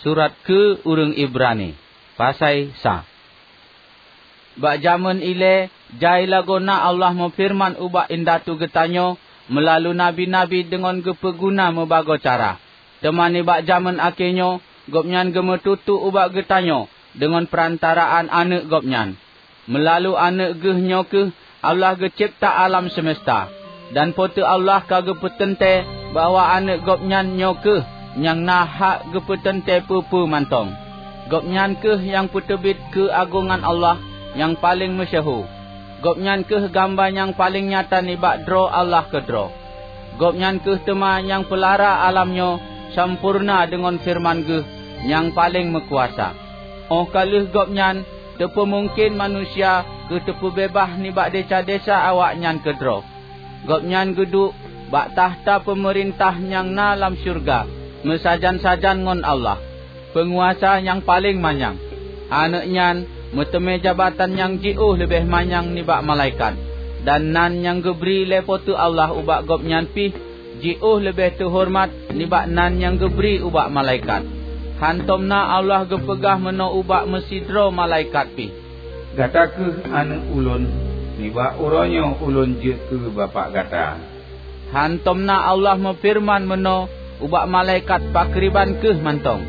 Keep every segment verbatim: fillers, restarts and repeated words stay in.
Surat keu ureuëng Ibrani, pasai sa. Bak jamén ilée, jai lagoena Allah meufeureuman ubak indatu geutanyoe meulalu nabi-nabi deungon geupeuguna meubagoe cara. Teuma nibak jamén akhé nyoe, Gobnyan geumeututoe ubak geutanyoe deungon peurantaraan Aneuëk Gobnyan. Meulalu Aneuëk Geuh nyoe kheueh Allah geucebta alam seumeusta, dan Po teu Allah ka geupeuteuntée bahwa Aneuëk Gobnyan nyoe kheueh nyang na hak geupeuteuntée peue-peue mantong. Gobnyan kheueh nyang peuteubiet keuagongan Allah nyang paleng meusyeuhu. Gobnyan kheueh gamba nyang paleng nyata nibak droe Allah keudroe. Gobnyan kheueh teuma nyang peulara alam nyoe sampoereuna deungon feureuman Geuh nyang paleng meukuasa. Óh ka lheueh Gobnyan, teupeumungken manusia keu teupeubeubaih nibak desya-desya awaknyan keudroe. Gobnyan geuduek bak takhta peumeurintah nyang na lam syeuruga meusajan-sajan ngon Allah, Peunguasa nyang paleng manyang. Aneuëk nyan meuteumé jabatan nyang jiôh leubeh manyang nibak malaikat, dan nan nyang geubri lé Po teu Allah ubak Gobnyan pih jiôh leubeh teuhoreumat nibak nan nyang geubri ubak malaikat. Hántom na Allah geupeugah meunoe ubak meusidroe malaikat pih, "Gata kheueh Aneuëk Ulôn, nibak uroe nyoe Ulôn jeuet keu Bapak gata." Hántom na Allah meufeureuman meunoe ubak malaikat pakriban kheueh mantong,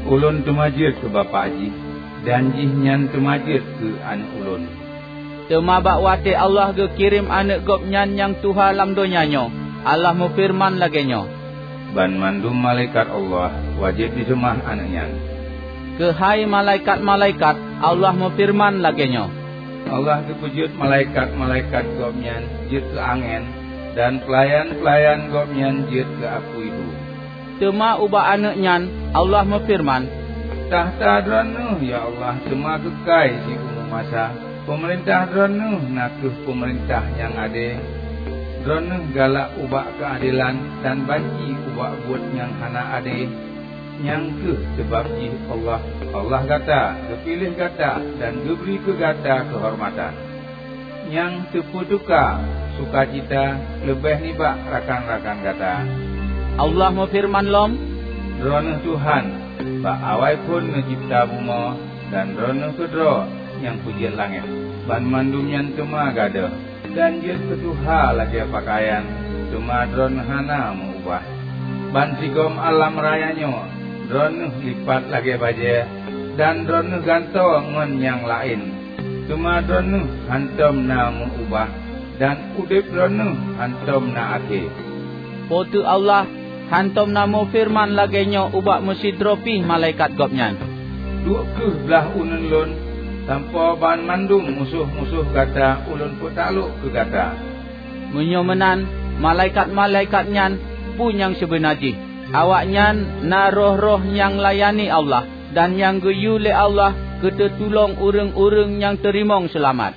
"Ulôn teuma jeuet keu Bapak jih, dan jihnyan teuma jeuet keu Aneuëk Ulôn." Teuma bak watée Allah geukirém Aneuëk Gobnyan nyang tuha lam donya nyoe, Allah meufeureuman lagée nyoe, "Banmandum malaikat Allah wajéb jiseumah Aneuëk nyan." Keuhai malaikat-malaikat, Allah meufeureuman lagée nyoe, "Allah geupeujeuet malaikat-malaikat Gobnyan jeuet keu angén, dan peulayan-peulayan Gobnyan jeuet keu apui hu." Teuma ubak Aneuëk nyan Allah meufeureuman, "Takhta Droeneueh, ya Allah, teuma keukai siumu masa. Peumeurintah Droeneueh na kheueh peumeurintah nyang ade. Droeneueh galak ubak keuadelan dan banci ubak buet nyang hana ade. Nyang kheueh sabab jih Allah, Allah gata, geupiléh gata dan geubri keu gata keuhormatan, nyang teupeutuka sukacita leubeh nibak rakan-rakan gata." Allah meufeureuman lom, "Droeneueh Tuhan bak awai phon neucebta bumoe, dan Droeneueh keudroe nyang peujeuet langét. Banmandum nyan teuma gadôh, dan jeuet keu tuha lagée peukayan, teuma Droeneueh hana meu-ubah. Bansigom alam raya nyoe Droeneueh lipat lagée bajée, dan Droeneueh gantoe ngon nyang laén, teuma Droeneueh hántom na meu-ubah, dan udeb Droeneueh hántom na akhé." Po teu Allah hántom na meufeureuman lagée nyoe ubak meusidroe pih malaikat Gobnyan, "Duek kheueh blaih uneuen Lôn, sampoe banmandum musoh-musoh gata Ulôn peutaklok keu gata." Meunyoe meunan, malaikat-malaikat nyan peue nyang sibeuna jih? Awaknyan na roh-roh nyang layani Allah, dan nyang geuyue lé Allah keu teutulông ureuëng-ureuëng nyang teurimong seulamat.